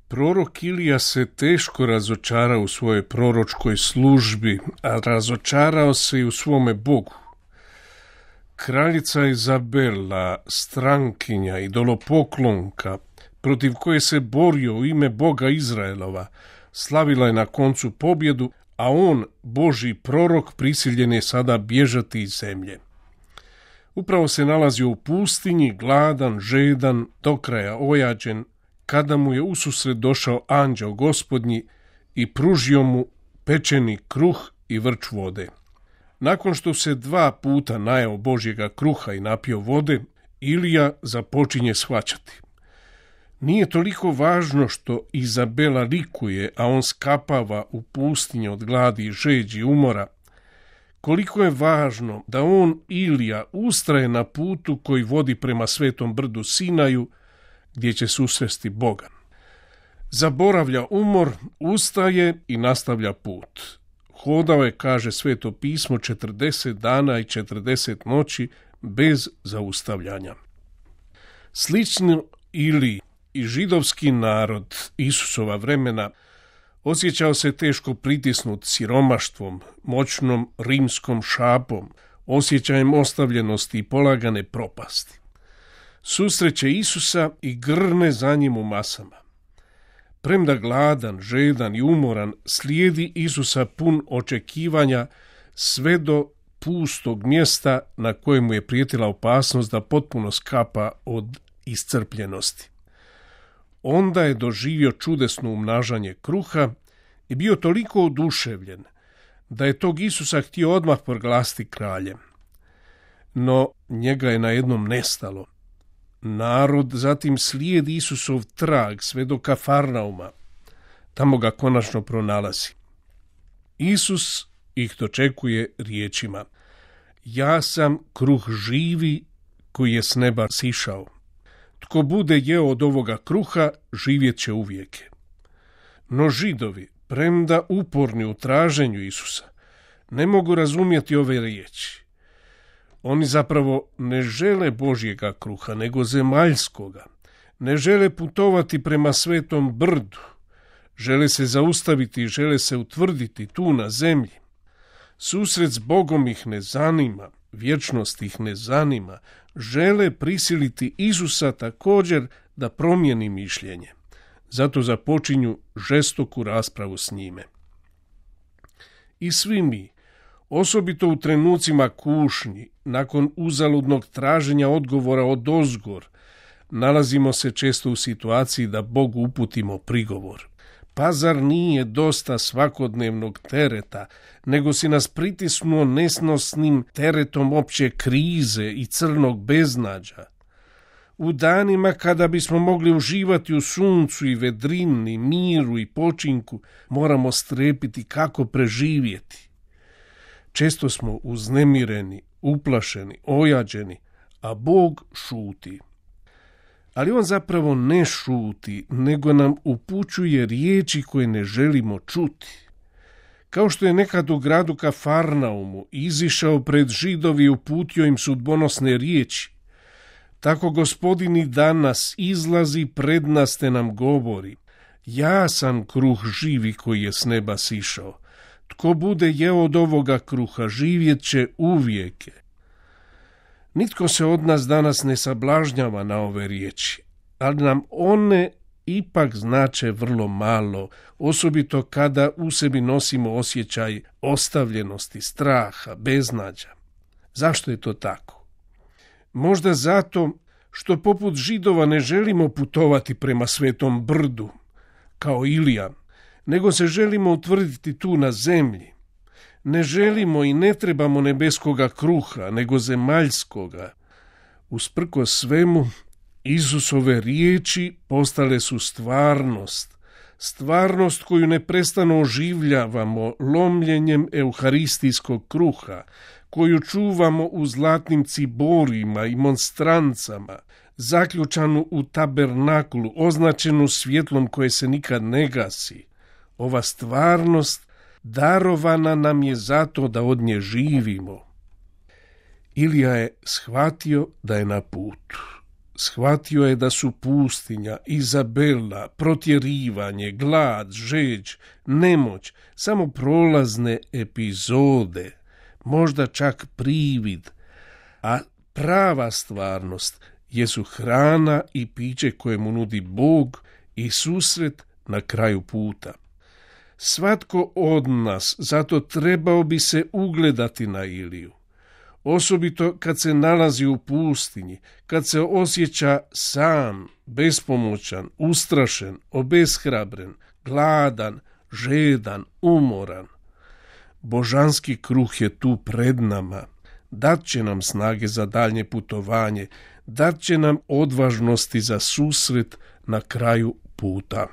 Prorok Ilija se teško razočarao u svojoj proročkoj službi, a razočarao se i u svome Bogu. Kraljica Izabela, strankinja, idolopoklonka, protiv koje se borio u ime Boga Izraelova, slavila je na koncu pobjedu, a on, Božji prorok, prisiljen je sada bježati iz zemlje. Upravo se nalazio u pustinji, gladan, žedan, do kraja ojađen, kada mu je ususret došao anđeo Gospodnji i pružio mu pečeni kruh i vrč vode. Nakon što se 2 puta najeo Božjega kruha i napio vode, Ilija započinje shvaćati. Nije toliko važno što Izabela likuje, a on skapava u pustinji od gladi i žeđi i umora, koliko je važno da on, Ilija, ustraje na putu koji vodi prema svetom brdu Sinaju, gdje će susresti Boga. Zaboravlja umor, ustaje i nastavlja put. Hodao je, kaže Sveto pismo, 40 dana i 40 noći bez zaustavljanja. Slično Iliji i židovski narod Isusova vremena osjećao se teško pritisnut siromaštvom, moćnom rimskom šapom, osjećajem ostavljenosti i polagane propasti. Susreće Isusa i grne za njim u masama. Premda gladan, žedan i umoran, slijedi Isusa pun očekivanja sve do pustog mjesta na kojemu je prijetila opasnost da potpuno skapa od iscrpljenosti. Onda je doživio čudesno umnažanje kruha i bio toliko oduševljen da je tog Isusa htio odmah proglasiti kraljem. No njega je najednom nestalo. Narod zatim slijedi Isusov trag sve do Kafarnauma. Tamo ga konačno pronalazi. Isus ih dočekuje riječima: ja sam kruh živi koji je s neba sišao. Tko bude jeo od ovoga kruha, živjet će uvijeke. No Židovi, premda uporni u traženju Isusa, ne mogu razumjeti ove riječi. Oni zapravo ne žele Božjega kruha, nego zemaljskoga. Ne žele putovati prema svetom brdu. Žele se zaustaviti i žele se utvrditi tu na zemlji. Susret s Bogom ih ne zanima, vječnost ih ne zanima. Žele prisiliti Isusa također da promijeni mišljenje. Zato započinju žestoku raspravu s njime. I svi mi, osobito u trenucima kušnji, nakon uzaludnog traženja odgovora odozgor, nalazimo se često u situaciji da Bogu uputimo prigovor. Pa zar nije dosta svakodnevnog tereta, nego si nas pritisnuo nesnosnim teretom opće krize i crnog beznađa? U danima kada bismo mogli uživati u suncu i vedrini, miru i počinku, moramo strepiti kako preživjeti. Često smo uznemireni, uplašeni, ojađeni, a Bog šuti. Ali on zapravo ne šuti, nego nam upućuje riječi koje ne želimo čuti. Kao što je nekad u gradu Kafarnaumu izišao pred Židovi i uputio im sudbonosne riječi, tako Gospodin i danas izlazi pred nas te nam govori: ja sam kruh živi koji je s neba sišao. Tko bude jeo od ovoga kruha, živjet će uvijeke. Nitko se od nas danas ne sablažnjava na ove riječi, ali nam one ipak znače vrlo malo, osobito kada u sebi nosimo osjećaj ostavljenosti, straha, beznađa. Zašto je to tako? Možda zato što poput Židova ne želimo putovati prema svetom brdu, kao Ilija, nego se želimo utvrditi tu na zemlji. Ne želimo i ne trebamo nebeskoga kruha, nego zemaljskoga. Usprkos svemu, Isusove riječi postale su stvarnost. Stvarnost koju neprestano oživljavamo lomljenjem euharistijskog kruha, koju čuvamo u zlatnim ciborima i monstrancama, zaključanu u tabernakulu, označenu svjetlom koje se nikad ne gasi. Ova stvarnost darovana nam je zato da od nje živimo. Ilija je shvatio da je na putu. Shvatio je da su pustinja, Izabela, protjerivanje, glad, žeđ, nemoć samo prolazne epizode, možda čak privid, a prava stvarnost jesu hrana i piće koje mu nudi Bog i susret na kraju puta. Svatko od nas zato trebao bi se ugledati na Iliju. Osobito kad se nalazi u pustinji, kad se osjeća sam, bespomoćan, ustrašen, obeshrabren, gladan, žedan, umoran. Božanski kruh je tu pred nama. Dat će nam snage za daljnje putovanje, dat će nam odvažnosti za susret na kraju puta.